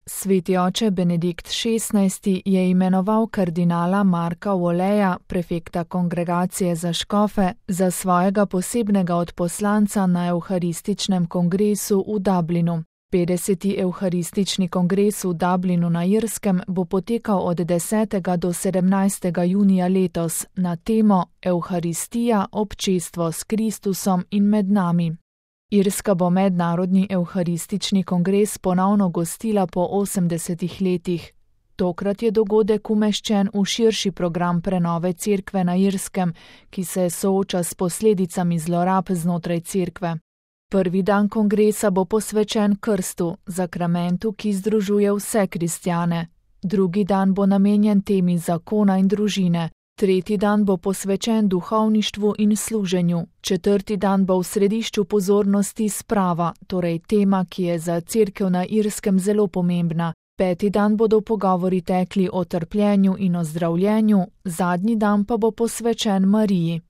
Sveti oče Benedikt XVI je imenoval kardinala Marka Walleya, prefekta kongregacije za škofe, za svojega posebnega odposlanca na Evharističnem kongresu v Dublinu. 50. Evharistični kongres v Dublinu na Irskem bo potekal od 10. do 17. junija letos na temo Evharistija, občestvo s Kristusom in med nami. Irska bo mednarodni evharistični kongres ponovno gostila po 80 letih. Tokrat je dogodek umeščen v širši program prenove cerkve na Irskem, ki se sooča s posledicami zlorab znotraj cerkve. Prvi dan kongresa bo posvečen krstu, zakramentu, ki združuje vse kristjane. Drugi dan bo namenjen temi zakona in družine. Tretji dan bo posvečen duhovništvu in služenju. Četrti dan bo v središču pozornosti sprava, torej tema, ki je za cerkev na Irskem zelo pomembna. Peti dan bodo pogovori tekli o trpljenju in ozdravljenju, zadnji dan pa bo posvečen Mariji.